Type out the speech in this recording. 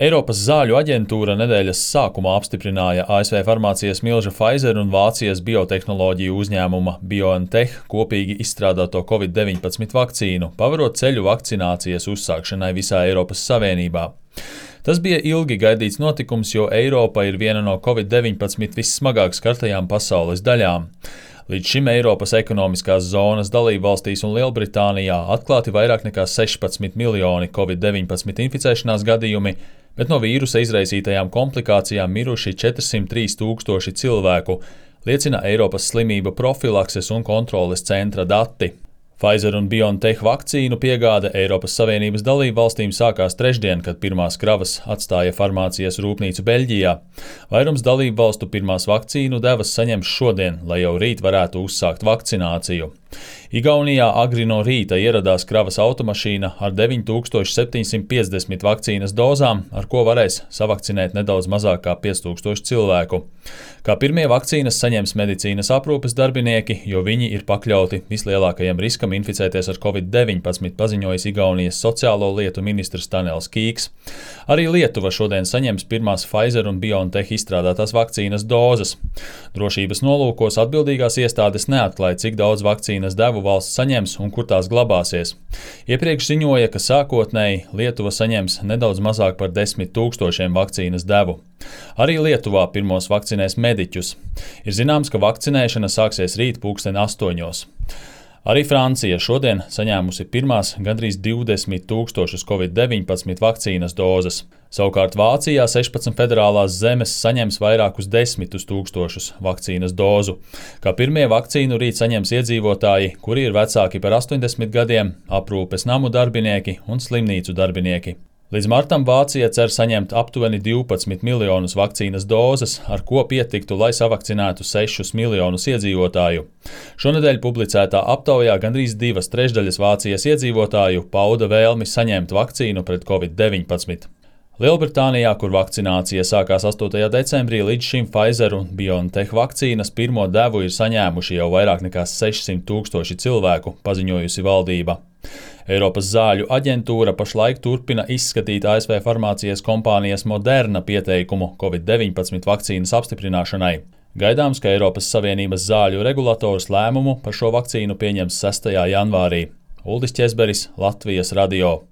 Eiropas zāļu aģentūra nedēļas sākumā apstiprināja ASV farmācijas milža Pfizer un Vācijas biotehnoloģiju uzņēmuma BioNTech kopīgi izstrādāto Covid-19 vakcīnu, pavarot ceļu vakcinācijas uzsākšanai visā Eiropas Savienībā. Tas bija ilgi gaidīts notikums, jo Eiropa ir viena no Covid-19 vissmagāk skartajām pasaules daļām. Līdz šim Eiropas ekonomiskās zonas dalībvalstīs un Lielbritānijā atklāti vairāk nekā 16 miljoni Covid-19 inficēšanās gadījumi, bet no vīrusa izraisītajām komplikācijām miruši 403 tūkstoši cilvēku, liecina Eiropas slimību profilakses un kontroles centra dati. Pfizer un BioNTech vakcīnu piegāde Eiropas Savienības dalībvalstīm sākās trešdien, kad pirmās kravas atstāja farmācijas rūpnīcu Beļģijā. Vairums dalībvalstu pirmās vakcīnu devas saņems šodien, lai jau rīt varētu uzsākt vakcināciju. Igaunijā agri no rīta ieradās kravas automašīna ar 9750 vakcīnas dozām, ar ko varēs savakcinēt nedaudz mazāk kā 5000 cilvēku. Kā pirmie vakcīnas saņems medicīnas aprūpes darbinieki, jo viņi ir pakļauti vislielākajam riskam inficēties ar Covid-19, paziņojis Igaunijas sociālo lietu ministrs Tanels Kīks. Arī Lietuva šodien saņems pirmās Pfizer un BioNTech izstrādātās vakcīnas dozes. Drošības nolūkos atbildīgās iestādes neatklāja, cik daudz vakcīnas devu valsts saņems un kur tās glabāsies. Iepriekš ziņoja, ka sākotnēji Lietuva saņems nedaudz mazāk par 10 000 vakcīnas devu. Arī Lietuvā pirmos vakcinēs mediķus. Ir zināms, ka vakcinēšana sāksies rīt 8:00. Arī Francija šodien saņēmusi pirmās gandrīz 20 000 Covid-19 vakcīnas dozes. Savukārt Vācijā 16 federālās zemes saņems vairākus 10 000 vakcīnas dozu. Kā pirmie vakcīnu rīt saņems iedzīvotāji, kuri ir vecāki par 80 gadiem, aprūpes namu darbinieki un slimnīcu darbinieki. Līdz martam Vācija cer saņemt aptuveni 12 miljonus vakcīnas dozes, ar ko pietiktu, lai savakcinētu 6 miljonus iedzīvotāju. Šonedēļ publicētā aptaujā gandrīz 2/3 Vācijas iedzīvotāju pauda vēlmi saņemt vakcīnu pret Covid-19. Lielbritānijā, kur vakcinācija sākās 8. decembrī, līdz šim Pfizer un BioNTech vakcīnas pirmo devu ir saņēmuši jau vairāk nekā 600 000 cilvēku, paziņojusi valdība. Eiropas zāļu aģentūra pašlaik turpina izskatīt ASV farmācijas kompānijas Moderna pieteikumu Covid-19 vakcīnas apstiprināšanai. Gaidāms, ka Eiropas Savienības zāļu regulators lēmumu par šo vakcīnu pieņems 6. janvārī. Uldis Ķezberis, Latvijas radio.